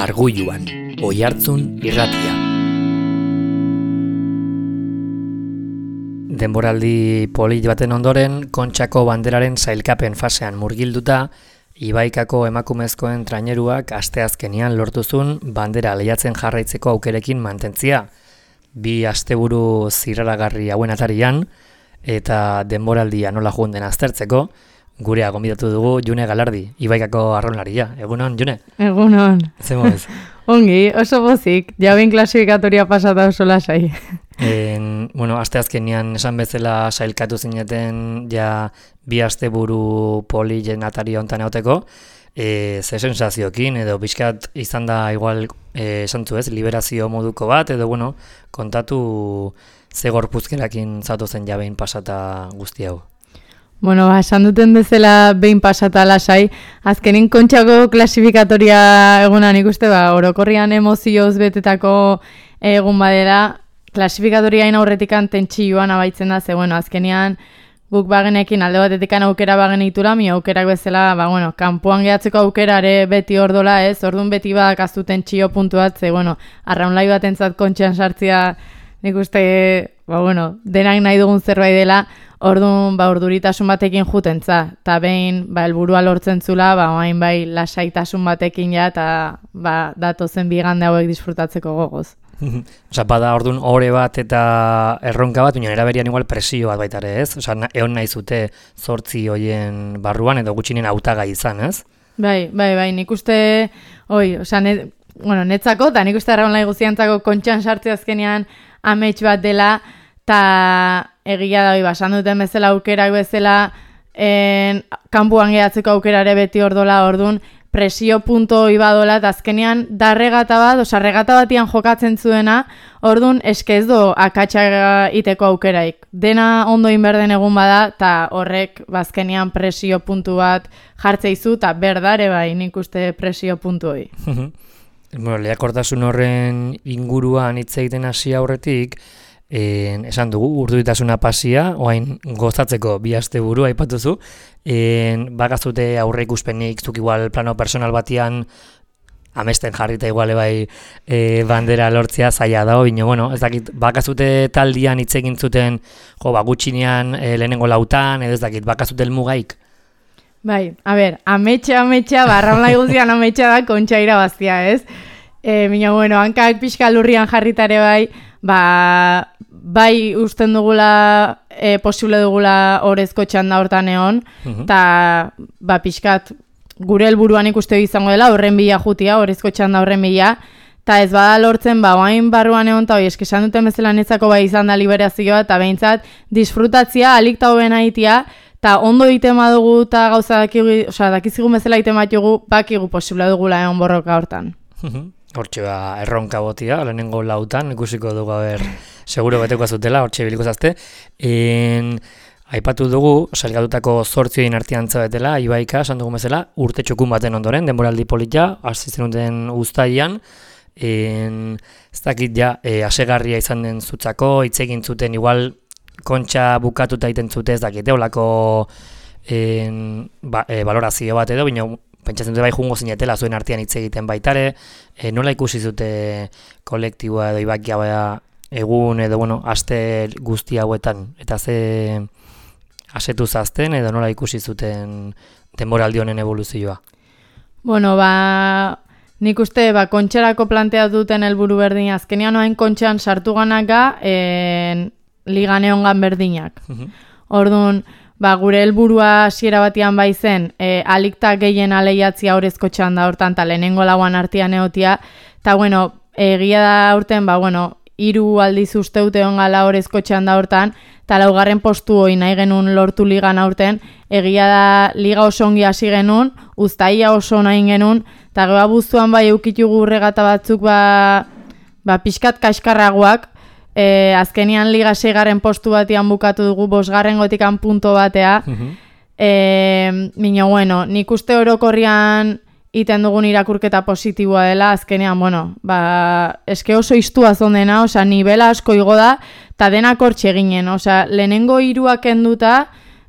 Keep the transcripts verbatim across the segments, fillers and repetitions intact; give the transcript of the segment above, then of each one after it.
Argulluan, Oihartzun irratia. Denboraldi polit baten ondoren, Kontxako banderaren sailkapen fasean murgilduta, Ibaikako emakumezkoen traineruak asteazkenian lortuzun bandera lehiatzen jarraitzeko aukerekin mantentzia. Bi asteburu zirraragarri hauen atarian, eta denboraldia nola joan den aztertzeko, gurea gonbidatu dugu June Galardi, Ibaikako arraunlaria. Egunon, June? Egunon. Zemo ez? Ongi, oso bozik, jabin klasifikatoria pasata oso lasai. En, bueno, asteazkenean esan bezala sailkatu zineten ja bi asteburu polilen atari hontan egoteko, e, ze sensazioekin edo pixkat izan da igual e, esan zu ez, liberazio moduko bat, edo bueno, kontatu ze gorpuzkerakin zatu zen ja behin pasata guzti hau. Bueno, ba, esan duten bezala behin pasata lasai, azkenin Kontxako klasifikatoria egunan ikuste, ba, orokorrian emozioz betetako egun badela, klasifikatoriain aurretikan tentsioan abaitzen da, ze, bueno, azkenean guk bagenekin alde batetikan aukera bagenitura, mi aukerak bezala, ba, bueno, kanpoan gehatzeko aukerare beti ordola ez, orduan beti bakaztu tentsio puntu bat, ze, bueno, arraunlai batentzat Kontxan sartzia nik uste, ba, bueno, denak nahi dugun zerbait dela, orduan, ba, urduritasun batekin jutentza, eta behin, ba, helburua lortzen zula, ba, oain bai, lasaitasun batekin ja, eta, ba, datozen bigande hauek disfrutatzeko gogoz. Osa, bada orduan ore bat eta erronka bat, baina eraberian igual presio bat baita ere, ez? Osa, egon nahi zute zortzi hoien barruan edo gutxinen hautagai izan, ez? Bai, bai, bai, nik uste, oi, osa, net, bueno, netzako, eta nik uste arraun lai guztiantzako Kontxan sartze azkenean amets bat dela, eta egia da, oi, basan duten bezala aukerak bezala, en, kanpuan gehatzeko aukerare beti ordola, orduan, presio punto ibadola, eta azkenean da regata bat, oza, regata batian jokatzen zuena, orduan eske ez do akatsa iteko aukeraik. Dena ondo inberden egun bada, eta horrek bazkenean presio puntu bat jartzeizu, eta berdare bai nik uste presio puntu hoi. Bueno, lehiakortasun horren inguruan hitz egiten hasi aurretik, En, esan dugu, urduritasuna pasia, oain gozatzeko bi asteburu aipatuzu, en, bakazute aurre ikuspenik, zuk igual plano personal batian amesten jarrita igual bai e, bandera lortzea zaila dago, bino, bueno, ez dakit, bakazute taldian hitz egin zuten, jo, ba, gutxinean e, lehenengo lautan, edo ez dakit, bakazute elmugaik? Bai, a ber, ametxa, ametxa, barraunlai guztian ametxa da Kontxa irabaztia, ez? E, Bino, bueno, hankak pixka lurrian jarritare bai, ba, bai usten dugula, e, posible dugula orezko txanda hortan egon, eta uh-huh. ba, pixkat gure helburuan ikuste izango dela, horren bila jutia, orezko txanda horren bila, eta ez bada lortzen, ba, oain barruan egon, eta hoi, eskesan duten bezala netzako bai izan da liberazioa, eta behintzat, disfrutatzia, alik eta hoben aitia, eta ondo egiten badugu, eta gauza dakigu, oza, dakizigun bezala egiten batugu, bakigu posible dugula egon borroka hortan. Hortxe ba, erronka botia, lehenengo lautan, ikusiko dugu, haber, seguro beteko azutela, hortxe biliko zazte. En, aipatu dugu, salgatutako zortzioin artean zabetela, Ibaika, esan dugu bezala, urte txukun baten ondoren, denboraldi polita, hasi zenuten uztaian, en, ez dakit ja, e, asegarria izan den zutzako, hitz egin zuten, igual, Kontxa bukatuta egiten zute, ez dakit, eolako en, ba, e, valorazio bat edo, bino, pentsatzen dute bai jungo zinetela zuen artean hitz egiten baitare, e, nola ikusi zute kolektiboa edo Ibakia baya egun edo, bueno, aste guzti hauetan, eta ze asetu zazten edo nola ikusi zuten denboraldi honen evoluzioa? Bueno, ba, nik uste, ba, Kontxarako planteatu duten helburu berdin, azkenean oain Kontxan sartu ganaka, en, ligan egongan berdinak. Orduan, ba, gure helburua hasiera batean bai zen, e, alikta gehien aleiatzia orezko txanda hortan, eta lehenengo lauan artean egotia, eta, bueno, egia da horten, ba, bueno, hiru aldiz usteute ongala orezko txanda hortan, eta laugarren postu hori nahi genuen lortu ligan aurten, egia da liga oso ongi hasi genuen, uztaia oso nahi genuen, eta geba buztuan bai eukitugu regata batzuk, ba, ba pixkat kaskarragoak, E, azkenian liga seigarren postu batian bukatu dugu, bosgarren gotikan punto batea. Uh-huh. E, Mino, bueno, nik uste orokorrian iten dugun irakurketa positiboa dela, azkenean, bueno, ba, eske oso iztua zondena, oza, nivela asko igo da, eta denak hortxe ginen, oza, lehenengo hiruak enduta,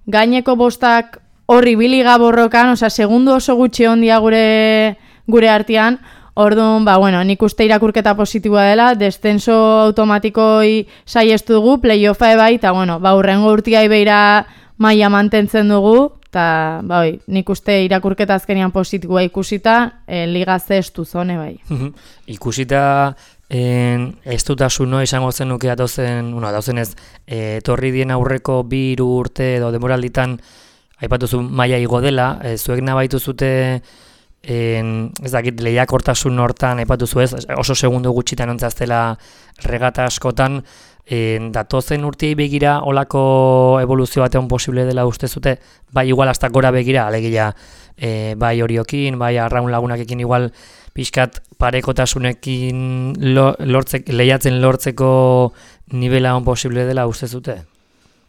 gaineko bostak horri biliga borrokan, oza, segundu oso gutxi ondia gure, gure artean, Orduan, ba, bueno, nik uste irakurketa positiboa dela, descenso automatikoi saiestu dugu, playoffa ebai, eta, bueno, ba, urrengo urtiai beira maila mantentzen dugu, eta, ba, oi, nik uste irakurketa azkenian positiboa ikusita, e, liga ze estu zone, bai. Ikusita, en, ez dutasuno izango zen nuke atozen, bueno, atozen ez, e, torri dien aurreko bi hiru urte edo demoralditan, aipatuzu maila igo dela, e, zuek nabaitu zute, En, ez dakit, lehiakortasun hortan aipatu ez, oso segundo gutxitan ontzaztela regata askotan, en, datozen urtiei begira olako evoluzio batean posible dela uste zute, bai igual hasta gora begira, alegia, e, bai horiokin, bai arraun lagunakekin igual pixkat parekotasunekin lo, lortzek, lehiatzen lortzeko nivela on posible dela uste zute?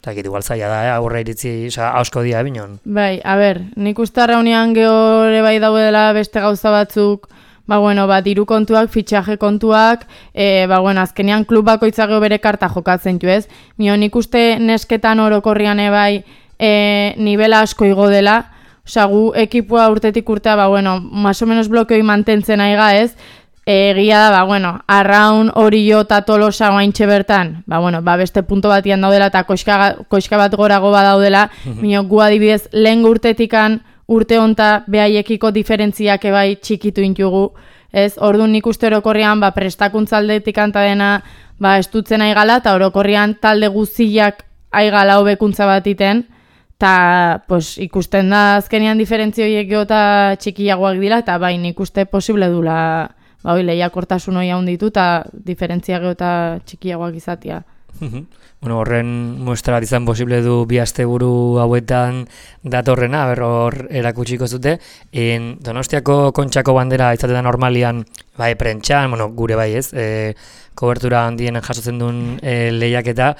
Eta igual zaila da, eh? Aurre iritzi, oza, asko dia ebinon. Bai, a ber, nik uste arraunean gehore bai daudela beste gauza batzuk, ba, bueno, ba, diru kontuak, fitxaje kontuak, e, ba, bueno, azkenean klub bakoitza geho bere karta jokatzen ju, ez? Mio, nik uste nesketan orokorrian ebai e, nivela asko igo dela, oza, gu ekipua urtetik urtea, ba, bueno, más o menos blokeoi mantentzen aiga, ez? Egia da, ba, bueno, arraun hori jo eta tolosa guaintxe bertan, ba, bueno, ba, beste punto batian daudela eta koiska, koiska bat gorago badaudela, mm-hmm. Mino, gu adibidez, lehen urtetikan urte honta behaiekiko diferentziak ebai txikitu intugu, ez, orduan nik uste orokorrian, ba, prestakuntza aldetik anta dena, ba, estutzen aigala, eta orokorrian talde guziak aigala hobekuntza bat iten, eta, pues, ikusten da azkenean diferentzioiek eta txikiagoak dira, eta bai, nik uste posible dula, ba, hoi, lehiakortasun hori handitu eta diferentzia geho eta txikiagoak izatea. Bueno, horren muestra bat izan posible du bi asteburu hauetan datorrena, ber hor erakutsiko zute. En Donostiako Kontxako bandera izaten da normalian, bai, prentxan, bueno, gure bai ez, e, kobertura handien jasotzen duen e, lehiaketa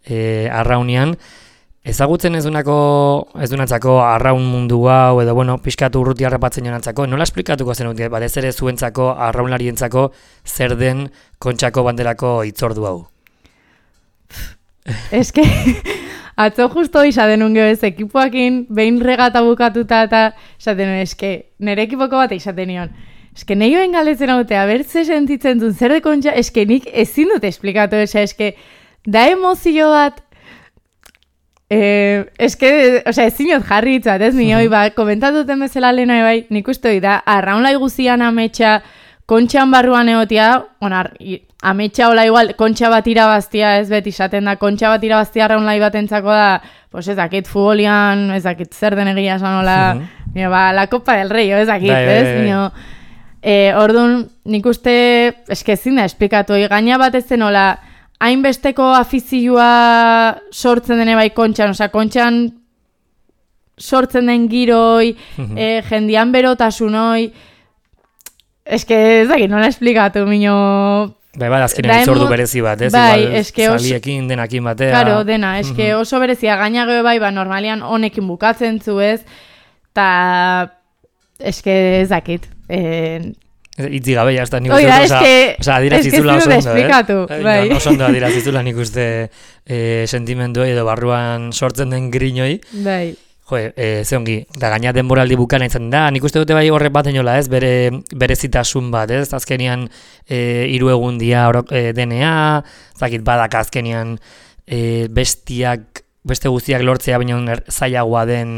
e, arraunian. Ezagutzen ez dunako, ez dunatzako arraun mundu hau, edo, bueno, pixkatu urruti harrapatzen jonatzako, nola esplikatuko zen dut, batez ere zuentzako, arraunlarientzako, zer den Kontxako banderako hitzordu hau? Ez que, atzo justo izaten unge ez, ekipoakin, behin regata bukatuta eta izaten un, ez que, nire ekipoko bat izaten nion. Ez que, nahi hoen galetzen haute, abertze sentitzen duen, zer de Kontxa, ez que nik ezin dut esplikatu, ez que, da emozio bat, Eh, es que, o sea, ezinot jarri itzat, ez, ni hoi, ba, komentatuten bezala lehena bai, nik uste hoi da, arraunlai guzian ametsa, kontxan barruan egotia, onar, ametsa hola igual, kontxa bat irabaztia, ez beti izaten da, kontxa bat irabaztia arraunlai bat entzako da, pues ez dakit futbolian, ez dakit zer den egia esan hola, uh-huh. ba, la Copa del Rey, ez dakit, bai, ez, bai, bai. Eh, orduan, nik uste, eske ezin da, esplikatu, gaina bat ez zen hola, hainbesteko afizioa sortzen dene bai Kontxan, oza, Kontxan sortzen den giroi, mm-hmm. e, jendian berotasunoi, eske ez dakit, nola esplikatu, mino... Bai, bai, azkenean itzordu berezi bat, ez? Bai, igual, eske oso... Zaliekin, denakin batea... Claro, dena, eske mm-hmm. oso berezia, gaina geho bai, ba, normalian honekin bukatzen zu, ez? Ta... eske ez dakit, eh... Itzi gabe, jazta, nik uste, oza, oza, adirazizula oso ondo, eh? Bai. Oso ondo adirazizula nik uste eh, sentimenduei edo barruan sortzen den griñoi. Bai. Jo, eh, ze ongi, da gaina denboraldi bukana izan da, nik uste dute bai horrek bat enola, ez, bere berezitasun bat, ez, azkenian eh, hiru egun dia eh, denea, zakit badak azkenian eh, bestiak, beste guztiak lortzea baina er, zailagoa den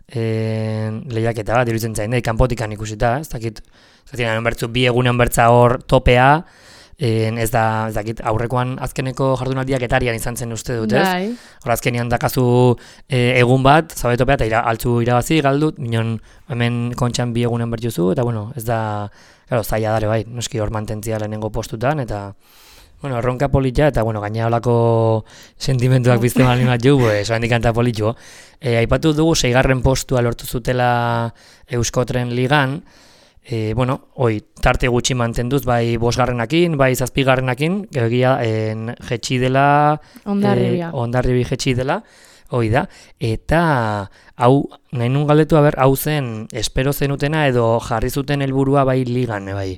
eh, lehiaketa bat, iruditzen zain, da, kanpotikan ikusita, ez dakit, Zaten, bertzu, bi egunen bertza hor topea, en, ez da, ez dakit, aurrekoan azkeneko jardunaldiak etarian izan zen uste dut, ez? Bai. Hor azkenean dakazu e, egun bat, zabe topea, eta ira, altzu irabazi, galdut, minon hemen Kontxan bi egunen bertzuzu, eta bueno, ez da, claro, zaila dare bai, noski hor mantentzia lehenengo postutan, eta, bueno, erronka politja, eta, bueno, gaina holako sentimentuak bizte malin bat jo, pues, oa indikanta politxo. E, aipatu dugu, seigarren postua lortu zutela Euskotren ligan, E, bueno, oi, tarte gutxi mantenduz, bai bosgarrenakin, bai zazpigarrenakin, egia en jetxi dela, Ondarribia. E, Ondarribi jetxi dela, hoi da, eta hau, nahi nun galdetu, haber, hau zen, espero zenutena edo jarri zuten helburua bai ligan, bai,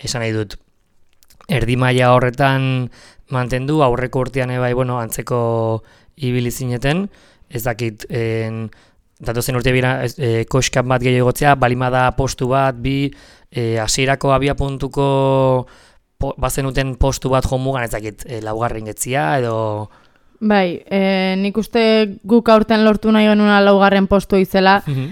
esan nahi dut, erdi maila horretan mantendu, aurreko urtean bai, bueno, antzeko ibili zineten, ez dakit, en, datozen urte bira e, koxkan bat gehiago egotzea, balimada postu bat, bi, e, hasierako abia puntuko po, bazenuten postu bat jomugan ezakit e, laugarren getzia edo... Bai, e, nik uste guk aurten lortu nahi genuna laugarren postu izela. Mm-hmm.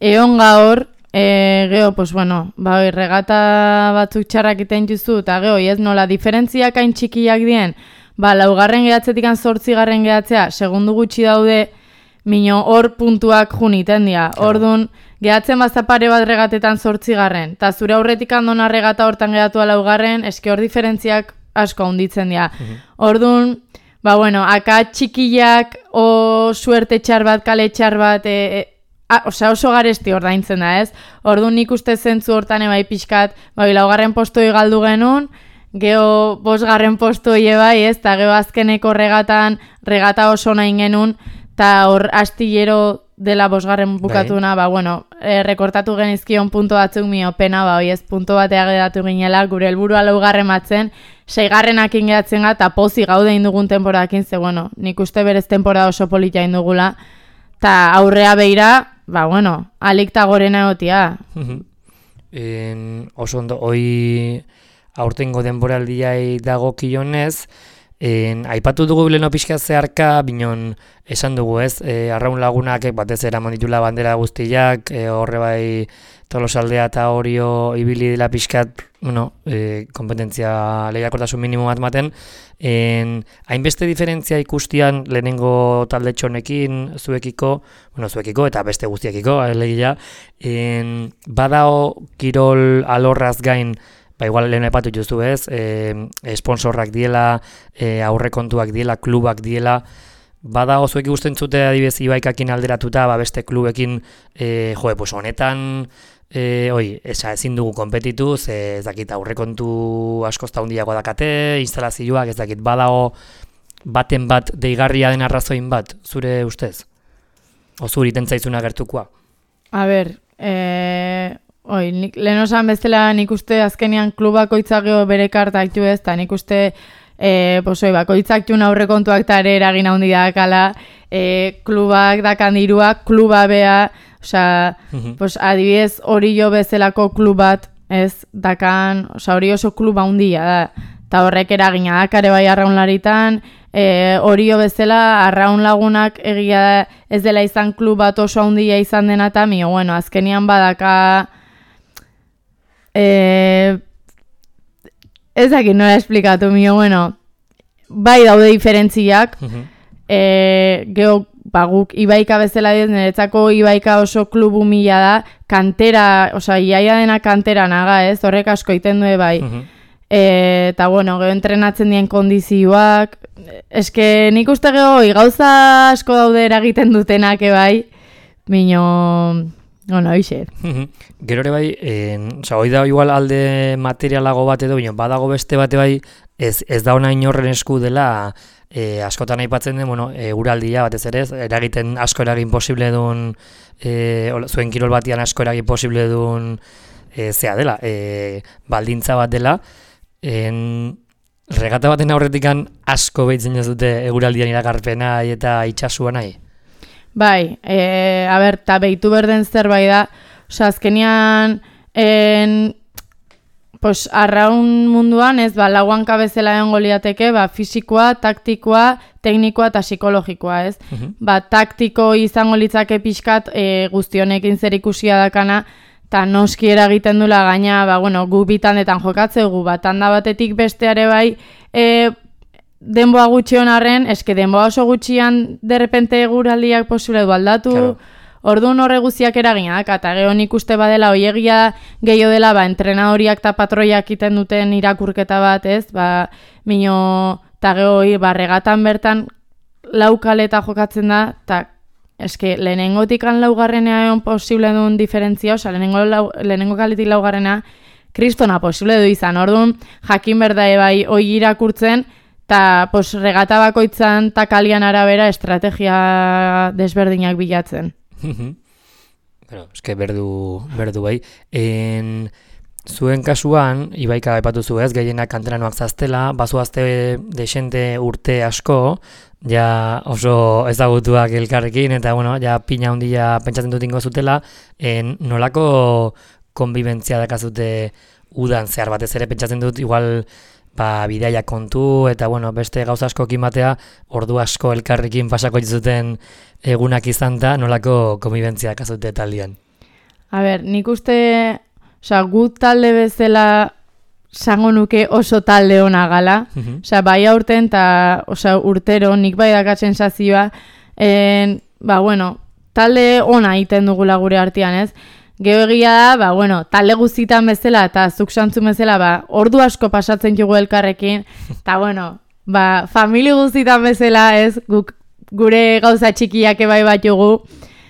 Egon gaur, e, geho, pues bueno, bai, regata batzuk txarrak iten juzu, eta geho, ez nola, diferentziak hain txikiak dien, ba, laugarren gehatzetik zortzigarren gehatzea, segundu gutxi daude, mino hor puntuak juniten dira. Ordun gehatzen bazta pare bat regatetan zortzigarren, eta zure aurretik andona regata hortan gehatu laugarren, eske hor diferentziak asko handitzen dira. Mm-hmm. Ordun, ba, bueno, aka txikiak o suerte txar bat, kale txar bat, e, e, a, osea oso garesti ordaintzen da, ez? Orduan nik uste zentzu hortan ebai pixkat, bai, laugarren postoi galdu genuen, geho bosgarren postoi ebai, ez? Ta geho azkeneko regatan, regata oso nahi genuen, eta hor astillero dela bosgarren bukatuna, ba, bueno, e, rekortatu genizkion punto batzuk mio pena, ba, oi ez, punto batea gedatu ginela, gure helburua laugarren batzen, seigarrenak ingeatzen eta pozi gaude indugun temporakin, ze, bueno, nik uste berez temporada oso polita indugula, eta aurrea beira, ba, bueno, alik ta gorena egotia. en, oso ondo, hoi aurtengo denboraldiai dago kionez, En, aipatu dugu leno pixka zeharka, binon esan dugu ez, e, arraun lagunak batez eraman ditula bandera guztiak, e, horre bai Tolosaldea eta Orio ibili dela pixkat, bueno, e, kompetentzia lehiakortasun minimo bat maten, en, hainbeste diferentzia ikustian lehenengo talde txonekin, zuekiko, bueno, zuekiko eta beste guztiakiko, alegia, en, badao kirol alorraz gain, ba, igual lehen epatu juzu ez, e, sponsorrak diela, e, aurrekontuak diela, klubak diela, bada ozuek ikusten zute adibidez Ibaikakin alderatuta, ba, beste klubekin, e, joe, pues honetan, e, oi, esa, ezin dugu konpetitu, ze ez dakit aurrekontu askozta hundiago dakate, instalazioak, ez dakit, badago baten bat deigarria den arrazoin bat, zure ustez? O zuri tentzaizuna gertukoa? A ber, eh... Oi, nik, lehen osan bezala nik uste azkenean klubakoitzak geho bere kartak ju ez, eta nik uste e, posoi, bakoitzak jun aurrekontuak eta ere eragin handi dakala, e, klubak dakan diruak, kluba bea, osea, uh-huh. pues, adibidez hori jo bezalako klubat, ez, dakan, osea, hori oso kluba handia da, eta horrek eragina dakare bai arraunlaritan, e, hori jo bezala arraun lagunak egia da, ez dela izan klubat oso handia izan dena eta mio, bueno, azkenean badaka, Eh, ez dakit nola esplikatu mio, bueno, bai daude diferentziak, uh-huh. eh, geho, ba, guk Ibaika bezala diz, niretzako Ibaika oso klubu mila da, kantera, oza, iaia dena kantera naga, ez, horrek asko iten du bai. Uh-huh. eh, eta, bueno, geho entrenatzen dien kondizioak, eske nik uste geho, gauza asko daude eragiten dutenak, bai, mino... Bueno, hoxe. Gero ere bai, oza, hoi da igual alde materialago bat edo, bino, badago beste bate bai, ez, ez da ona inorren esku dela, e, askotan aipatzen den, bueno, e, uraldia batez ere, eragiten asko eragin posible duen, e, zuen kirol batian asko eragin posible duen, e, zea dela, e, baldintza bat dela, en, regata baten aurretikan asko behitzen ez dute eguraldian iragarpena eta itxasua nahi. Bai, e, a ber, eta behitu berden zerbait da, oza, azkenian, en, pues, arraun munduan, ez, ba, lauan kabezela egon goliateke, ba, fisikoa, taktikoa, teknikoa eta psikologikoa, ez? Uh-huh. Ba, taktiko izango litzake pixkat, e, guztionekin zer ikusia dakana, eta noski eragiten dula gaina, ba, bueno, gu bitandetan jokatzegu, ba, tanda batetik besteare bai, e, denboa gutxi honarren, eske denboa oso gutxian derrepente eguraldiak posible du aldatu, claro. Orduan horre guztiak eraginak, eta geho nik uste badela oiegia gehiago dela, ba, entrenadoriak eta patroiak iten duten irakurketa bat, ez, ba, mino, eta geho, ba, regatan bertan laukaleta jokatzen da, eta eske lehenengotikan laugarrenea egon posible duen diferentzia, oza, lehenengo, lau, lehenengo kaletik laugarrenea, kristona posible du izan, orduan jakin berda bai oi irakurtzen, eta pos, regata bakoitzan eta kalian arabera estrategia desberdinak bilatzen. Bueno, eske berdu, berdu bai. En, zuen kasuan, Ibaika aipatu zu ez, gehienak kanteranoak zaztela, bazuazte desente urte asko, ja oso ezagutuak elkarrekin, eta bueno, ja pina handia pentsatzen dut ingo zutela, en, nolako konbibentzia dakazute udan zehar batez ere pentsatzen dut, igual ba, bidaia kontu eta bueno, beste gauza askokin batea ordu asko elkarrekin pasako zuten egunak izan da, nolako konbibentzia dakazute taldean. A ber, nik uste, osea, gu talde bezala sango nuke oso talde ona gala, Mhm. osea, bai aurten eta osea, urtero nik bai dakat sensazioa, en, ba, bueno, talde ona egiten dugula gure artean, ez? Gero egia da, ba, bueno, talde guztitan bezala eta zuk santzun bezala, ba, ordu asko pasatzen jugu elkarrekin, eta bueno, ba, famili guztitan bezala, ez, guk, gure gauza txikiak ebai bat jugu,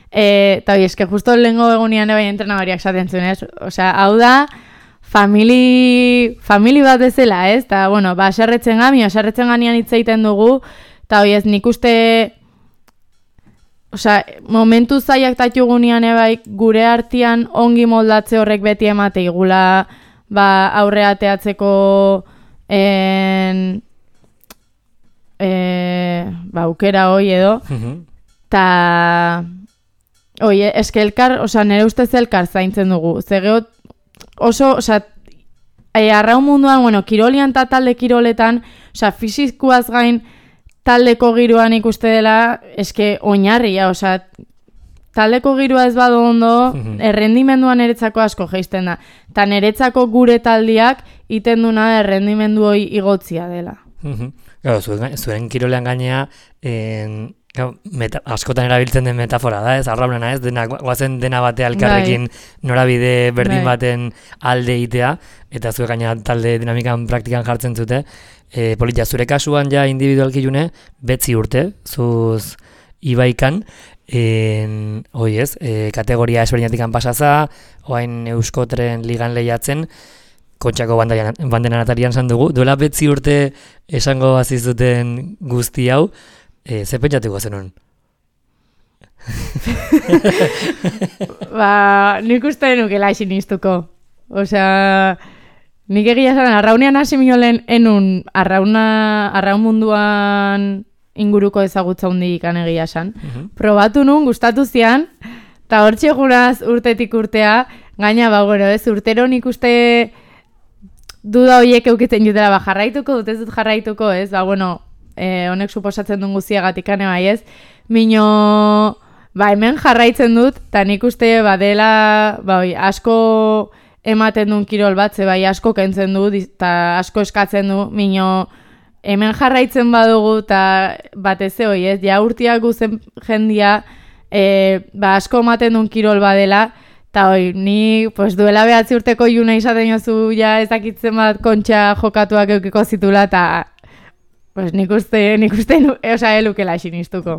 e, eta hoi, eske justo lehengo egunean ebai entrenabariak esaten zuen, ez? Osea, hau da, famili, famili bat bezala, ez? Eta, bueno, ba, aserretzen gami, aserretzen ganian hitz egiten dugu, eta hoi, ez, nik uste, osea, momentu zaiak tatugunean ebai gure artean ongi moldatze horrek beti emate igula, ba, aurre ateatzeko en, e, ba, aukera hoi edo, eta oie, eske elkar, osea, nire ustez elkar zaintzen dugu, zegeo oso, osea, e, arraun munduan, bueno, kirolian eta talde kiroletan, osea, fizikuaz gain taldeko giroan ikuste dela, eske oinarria, osea, taldeko giroa ez badu ondo, errendimenduan eretzako asko geisten da. Eta neretzako gure taldiak iten duna errendimendu hoi igotzia dela. Gau, zuen, zuen kirolean gainea, en, gau, meta, askotan erabiltzen den metafora da, ez, arraunena ez, dena, guazen dena batea elkarrekin norabide berdin baten alde itea, eta zuen gaina talde dinamikan praktikan jartzen zute. E, Polita, zure kasuan ja individualki june, betzi urte, zuz ibaikan, en, oi ez, e, kategoria esberdinatikan pasaza, oain Euskotren ligan lehiatzen, Kontxako bandena atarian zan dugu, duela betzi urte esango bazizuten guzti hau, e, ze pentsatuko zenun? Ba, nik uste nukela sinistuko. Osea, nik egia esan, arraunean hasi minolen enun arrauna, arraun munduan inguruko ezagutza hundik ikan egia esan. Uh-huh. Probatu nun, gustatu zian, eta hor txegunaz urtetik urtea, gaina, ba, bueno, ez, urtero nik uste duda horiek eukitzen jutela, ba, jarraituko, dut ez dut jarraituko, ez, ba, bueno, eh, honek suposatzen duen guztiagatik ane bai, ez, mino, ba, hemen jarraitzen dut, eta nik uste, ba, dela, ba, oi, asko ematen duen kirol bat, ze bai asko kentzen du, eta asko eskatzen du, mino, hemen jarraitzen badugu, eta batez hoi, ez, ja urtiak guzen jendia, e, ba, asko ematen duen kirol badela, eta hoi, ni pues, duela behatzi urteko juna izaten jozu, ja ezakitzen bat kontxa jokatuak eukiko zitula, eta pues, nik uste, nik uste, oza, elukela sinistuko.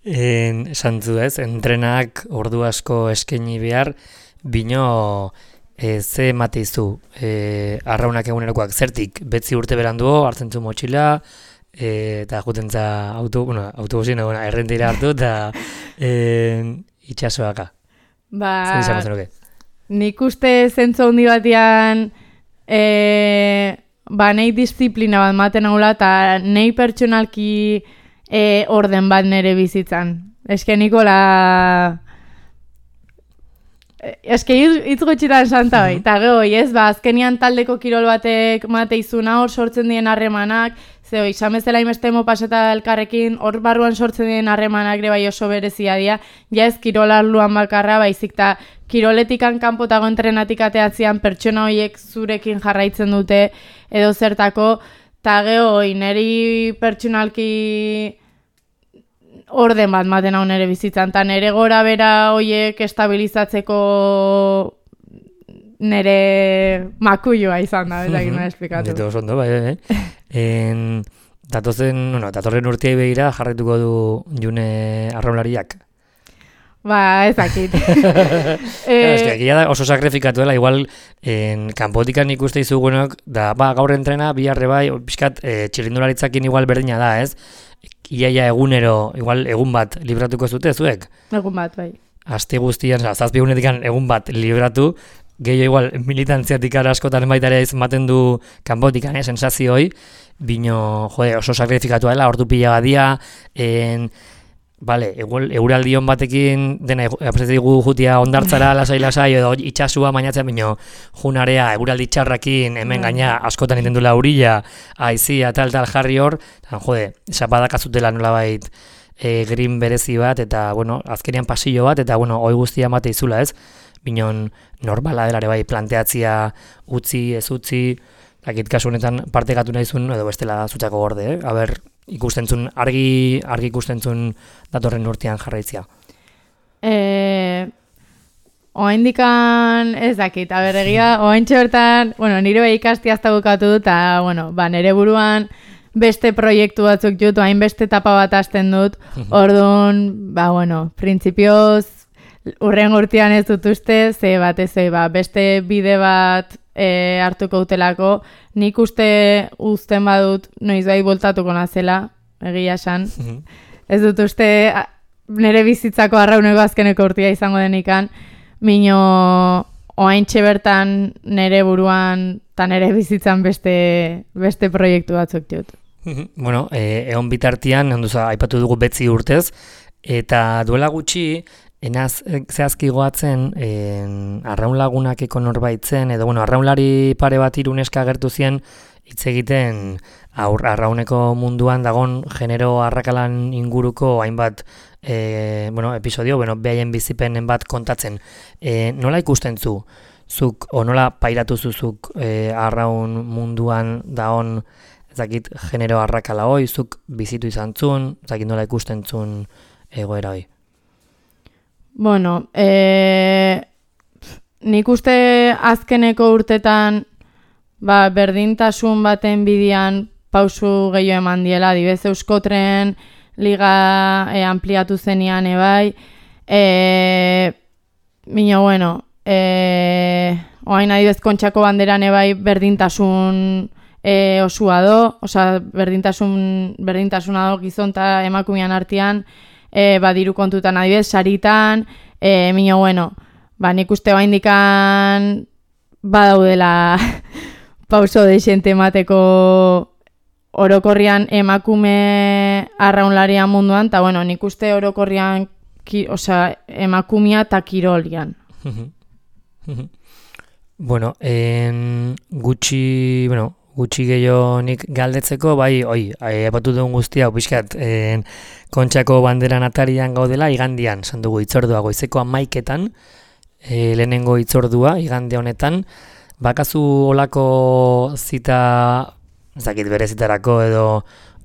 En, santzu ez, entrenak ordu asko eskaini behar, bino e, ze mateizu e, arraunak egunerokoak zertik, betzi urte beranduo, hartzen zu motxila, e, eta juten za auto, bueno, autobusin eguna errentira hartu, eta e, itxasoaka. Ba, zer izango zenuke? Nik uste zentzu handi batean e, ba, nahi disiplina bat maten haula, eta nahi pertsonalki e, orden bat nere bizitzan. Eske nikola... Eske hitz gutxitan santa bai, eta geho, ez, ba, azkenian taldeko kirol batek mate izuna hor sortzen dien harremanak, ze hoi, samezela imestemo paseta elkarrekin, hor barruan sortzen dien harremanak ere bai oso berezia dira, ja ez kirolarluan bakarra, baizik eta kiroletikan kanpotago entrenatik ateatzean pertsona horiek zurekin jarraitzen dute edo zertako, eta geho, neri pertsonalki orden bat maten hau nere bizitzan, eta nere gora bera hoiek estabilizatzeko nere makuioa izan da, ez egin esplikatu. Dito oso ondo, bai, bai. En, datozen, bueno, datorren urteai begira jarraituko du june arraunlariak. Ba, ez dakit. eh, Eske, egia da oso sakrifikatu dela, igual en, kanpotikan ikuste izugunok, da, ba, gaur entrena, biharre bai, pixkat, e, txirrindularitzakin igual berdina da, ez? Iaia egunero, igual egun bat libratuko zute zuek? Egun bat, bai. Aste guztian, zazpi egunetik egun bat libratu, gehiago igual militantziatik askotan baita ere ematen du kanpotikan, eh, sensazioi, bino, jode, oso sakrifikatu dela, ordu pila badia, en, bale, euraldion batekin dena aprezedigu jutia ondartzara lasai-lasai edo itxasua mainatzen bino junarea euraldi txarrakin hemen gaina askotan iten dula urilla, aizia tal-tal jarri hor, eta jode, zapadakazutela nolabait e, green berezi bat, eta bueno, azkenean pasillo bat, eta bueno, hoi guztia mate izula ez, binon normala delare bai planteatzia utzi, ez utzi, dakit kasu honetan partekatu nahizun, edo bestela zutzako gorde, eh? Aber, ikustentzun, argi, argi ikustentzun datorren urtean jarraitzia. E, oaindikan ez dakit, aber egia, oaintxe bertan, bueno, nire bai ikasti azta bukatu dut, eta, bueno, ba, nire buruan beste proiektu batzuk jut, hain beste etapa bat hasten dut, orduan, ba, bueno, printzipioz, urren urtean ez dut uste, ze bat ez, ba, beste bide bat e, hartuko utelako, nik uste uzten badut noiz bai voltatuko nazela, egia esan. Ez dut uste nire bizitzako arrauneko azkeneko urtia izango denikan, mino oaintxe bertan nire buruan eta nire bizitzan beste, beste proiektu batzuk jut. Bueno, e, egon bitartian, onduza, aipatu dugu betzi urtez, eta duela gutxi, enaz zehazki goatzen arraun lagunakeko norbaitzen, edo bueno, arraunlari pare bat iruneska gertu zien, hitz egiten aur, arrauneko munduan dagon genero arrakalan inguruko hainbat e, bueno, episodio, bueno, behaien bizipenen bat kontatzen. E, nola ikusten zu? Zuk, o nola pairatu zuzuk e, arraun munduan dagon ezakit genero arrakala hoi, zuk bizitu izan zun, ezakit nola ikusten zun egoera hoi? Bueno, e, nik uste azkeneko urtetan ba, berdintasun baten bidian pausu gehiago eman diela, adibez Euskotren liga e, ampliatu zenian ebai, e, mino, bueno, e, oain adibez Kontxako banderan ebai berdintasun e, osua do, osea, berdintasun, berdintasuna do gizon eta emakumean artean, E, ba, diru kontutan adibidez, saritan, e, mino, bueno, ba, nik uste baindikan badaudela pauso deixente emateko orokorrian emakume arraunlarian munduan, eta, bueno, nik uste orokorrian, ki, osea, emakumea eta kirolian. Bueno, en gutxi, bueno, gutxi gehiago nik galdetzeko, bai, oi, epatu duen guztia, pixkat, en, Kontxako banderan atarian gaudela, igandian, esan dugu itzordua goizeko hamaiketan, e, lehenengo itzordua, igande honetan, bakazu olako zita, ezakit berezitarako edo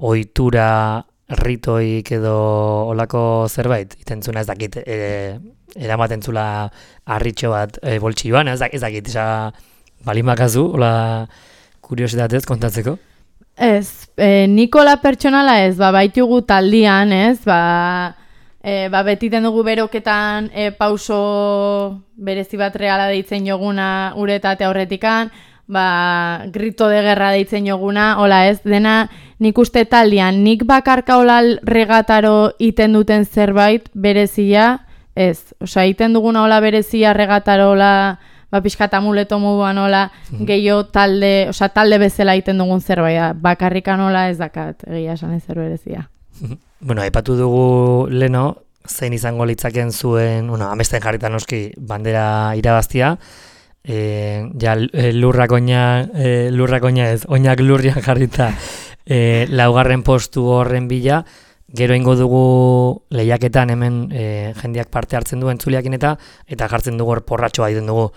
ohitura ritoik edo olako zerbait, itentzuna ez dakit, e, eramaten zula harritxo bat e, boltsioan, ez dakit, eza, balin bakazu, ola kuriositatez kontatzeko? Ez, e, Nikola pertsonala ez, ba, baitugu taldian, ez, ba, e, ba betiten dugu beroketan e, pauso berezi bat reala deitzen joguna uretate aurretikan, ba, grito de guerra deitzen joguna, hola ez, dena nik uste taldian, nik bakarka hola regataro iten duten zerbait berezia, ez, osea, iten duguna hola berezia regataro hola, ba, pixkat amuleto moduan hola, gehiago talde, osea, talde bezala egiten dugun zerbait, bakarrikan hola ez dakat, egia esan ez zerberezia. Bueno, aipatu dugu leno, zein izango litzaken zuen, bueno, amesten jarritan noski bandera irabaztia, e, ja lurrak oina, e, lurrak oina ez, oinak lurrian jarrita e, laugarren postu horren bila, gero ingo dugu lehiaketan hemen e, jendeak parte hartzen duen entzuliakin eta eta jartzen dugu hor porratxoa egiten dugu.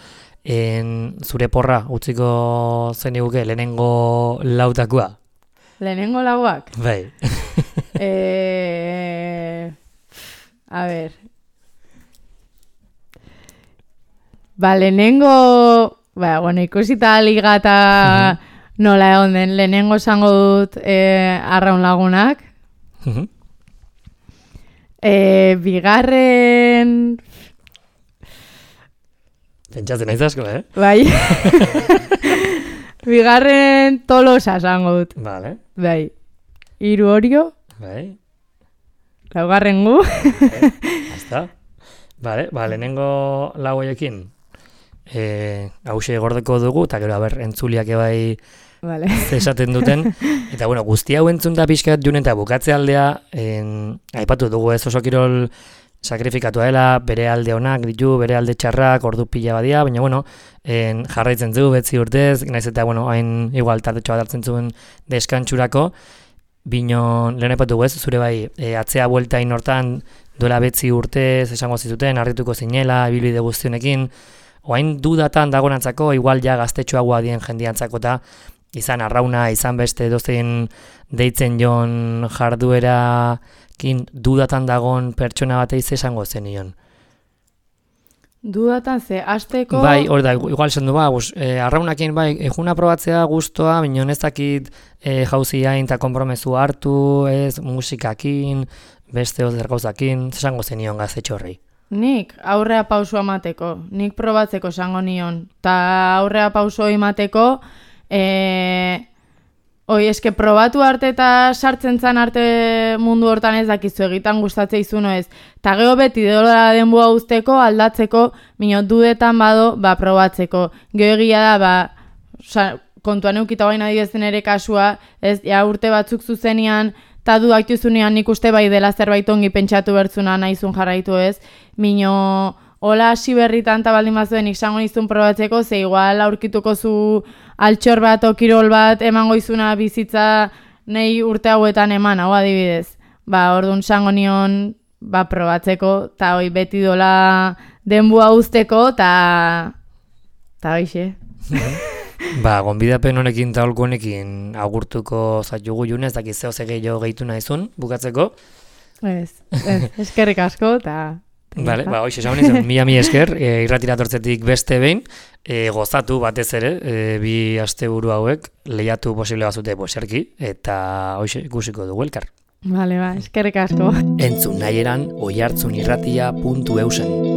En, zure porra, utziko zen eguke, lehenengo lautakoa? Lehenengo lauak? Bai. e... A ver. Ba, lehenengo... Ba, bueno, ikusita liga eta nola egon den, lehenengo esango dut e, arraun lagunak. E, bigarren... Pentsatzen naiz asko, eh? Bai. Bigarren Tolosa esango dut. Vale. Bai. Hiru Orio. Bai. Laugarren gu. Bai. Hasta. Vale, ba, lehenengo lau hoiekin. e, hause gordeko dugu, eta gero, aber, entzuliak ebai vale. esaten duten, eta bueno, guzti hau entzun da pixkat jun eta bukatze aldea, en, aipatu dugu ez oso kirol sakrifikatua dela, bere alde onak ditu, bere alde txarrak, ordu pila badia, baina bueno, en, jarraitzen zu, betzi urtez, naiz eta bueno, hain igual tartetxo bat hartzen zuen deskantxurako, bino lehen aipatu dugu ez, zure bai, e, atzea bueltain hortan, duela betzi urtez, esango zizuten, harrituko zinela, ibilbide guztionekin, oain dudatan dagoenantzako, igual ja gaztetxoagoa dien jendiantzako eta izan arrauna, izan beste dozein deitzen jon jarduerakin dudatan dagon pertsona bateiz esango zenion. Dudatan ze, azteko... Bai, hori da, igual esan du, ba, bus, e, arraunakin, bai, ejuna probatzea guztua, bino ez dakit e, jauzi hain eta konpromezu hartu, ez, musikakin, beste ozer gauzakin, esango zenion gaztetxo horrei. Nik aurrea pausua emateko, nik probatzeko esango nion, eta aurrea pausua emateko, e, oi, eske probatu arte eta sartzen zan arte mundu hortan ez dakizu egitan gustatzea izuno ez, eta geho beti dola denbua usteko, aldatzeko, mino dudetan bado, ba, probatzeko. Geho egia da, ba, sa, kontuan eukita baina dibezen ere kasua, ez, ja urte batzuk zuzenian, eta dudak juzunean nik uste bai dela zerbait ongi pentsatu bertzuna nahizun jarraitu ez, mino hola hasi berritan eta baldin bazuen iksango nizun probatzeko, ze igual aurkituko zu altxor bat o kirol bat emango izuna bizitza nei urte hauetan eman, hau adibidez. Ba, orduan sango nion ba, probatzeko, eta hoi beti dola denbua usteko, eta eta hoixe. Ba, gonbidapen honekin eta holko honekin agurtuko zaitugu june, ez dakiz zeo zegei jo gehitu nahizun, bukatzeko. Ez, ez, eskerrik asko, eta... Vale, ba, hoxe esan nizun, mila mi esker, e, irratira tortzetik beste behin, e, gozatu batez ere, e, bi asteburu hauek, lehiatu posible bazute boserki, eta hoxe ikusiko dugu elkar. Vale, ba, eskerrik asko. Entzun nahi eran, oihartzunirratia puntu eusen.